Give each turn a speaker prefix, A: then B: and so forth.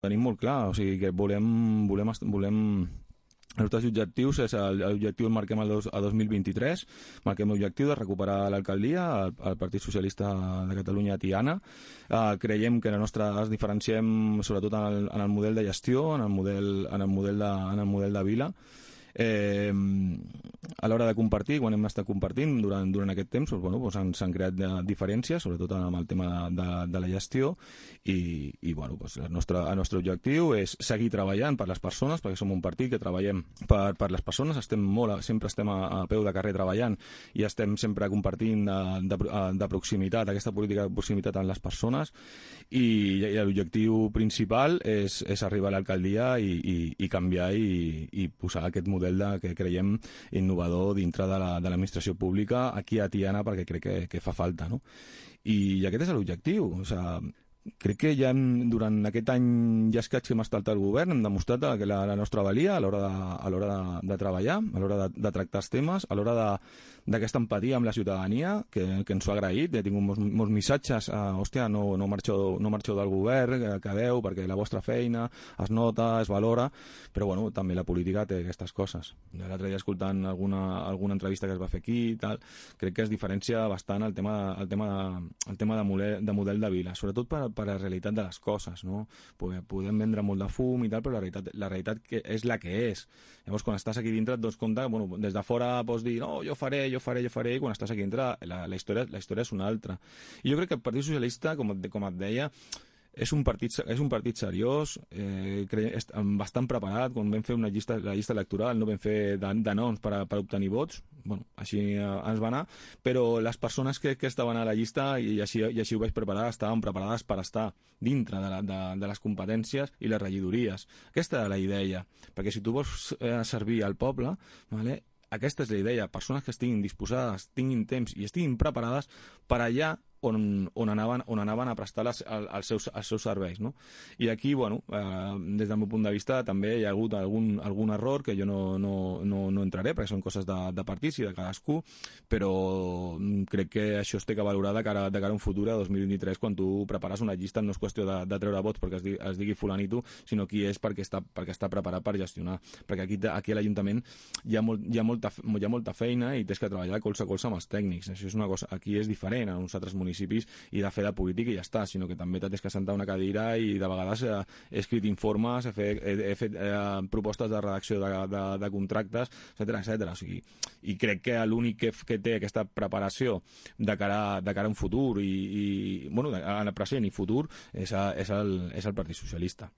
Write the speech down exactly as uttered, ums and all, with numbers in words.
A: Tenim molt clar, o sigui que volem, volem, volem els nostres objectius és l'objectiu el marquem a dos mil vint-i-tres, marquem l'objectiu de recuperar l'alcaldia al, al Partit Socialista de Catalunya a Tiana. Uh, creiem que la nostra es diferenciem sobretot en el, en el model de gestió, en el model, en el model, de, en el model de vila. Eh, a l'hora de compartir, quan hem estat compartint durant, durant aquest temps, doncs, bueno, doncs s'han creat de, diferències, sobretot amb el tema de, de, de la gestió i, i bueno, doncs el, nostre, el nostre objectiu és seguir treballant per les persones, perquè som un partit que treballem per, per les persones, estem molt, sempre estem a, a peu de carrer treballant i estem sempre compartint de, de, de proximitat, aquesta política de proximitat amb les persones i, i l'objectiu principal és, és arribar a l'alcaldia i, i, i canviar i, i posar aquest model de, que creiem innovador dintre de l'administració la, pública aquí a Tiana perquè crec que, que fa falta, no? I, i aquest és l'objectiu, o sigui, crec que ja hem, durant aquest any ja escaig que hem estat al govern hem demostrat que la, la nostra valia a l'hora de, a l'hora de, de treballar, a l'hora de, de tractar els temes, a l'hora d'aquesta empatia amb la ciutadania que, que ens ho ha agraït. He tingut molts, molts missatges, uh, hòstia, no, no, marxeu, no marxeu del govern, que quedeu perquè la vostra feina es nota, es valora, però bueno, també la política té aquestes coses. L'altre dia escoltant alguna, alguna entrevista que es va fer aquí i tal, crec que es diferencia bastant el tema, el tema, el tema de, model, de model de vila, sobretot per per la realitat de les coses, no? Podem vendre molt de fum i tal, però la realitat, la realitat que és la que és. Llavors, quan estàs aquí dintre et dones compte, bueno, des de fora pots dir, no, jo faré, jo faré, jo faré, i quan estàs aquí dintre la, la, història, la història és una altra. I jo crec que el Partit Socialista, com, com et deia, és un partit, és un partit seriós, eh, bastant preparat. Quan vam fer una llista, la llista electoral no vam fer de, de noms per, a, per obtenir vots, bueno, així eh, ens va anar, però les persones que, que estaven a la llista, i així, i així ho vaig preparar, estaven preparades per estar dintre de, la, de, de les competències i les regidories. Aquesta era la idea, perquè si tu vols eh, servir al poble, vale, aquesta és la idea, persones que estiguin disposades, tinguin temps i estiguin preparades per allà on, on, anaven, on anaven a prestar les, els, seus, els seus serveis, no? I aquí, bueno, eh, des del meu punt de vista també hi ha hagut algun, algun error que jo no, no, no, no entraré perquè són coses de, de partits i de cadascú, però crec que això es té que valorar de cara, de cara a un futur a dos mil vint-i-tres, quan tu prepares una llista no és qüestió de, de treure vots perquè es digui, es digui fulanito, sinó qui és perquè està, perquè està preparat per gestionar, perquè aquí, aquí a l'Ajuntament hi ha, molt, hi, ha molta, hi ha molta feina i tens que treballar colze a colze amb els tècnics. Això és una cosa, aquí és diferent a uns altres municipis municipis i de fer de política i ja està, sinó que també t'has que sentar una cadira i de vegades eh, he escrit informes, he fet, he, he fet eh, propostes de redacció de, de, de contractes, etcètera, etcètera. O sigui, i crec que l'únic que, que té aquesta preparació de cara, de cara a un futur i, i bueno, en el present i futur és, a, és, el, és el Partit Socialista.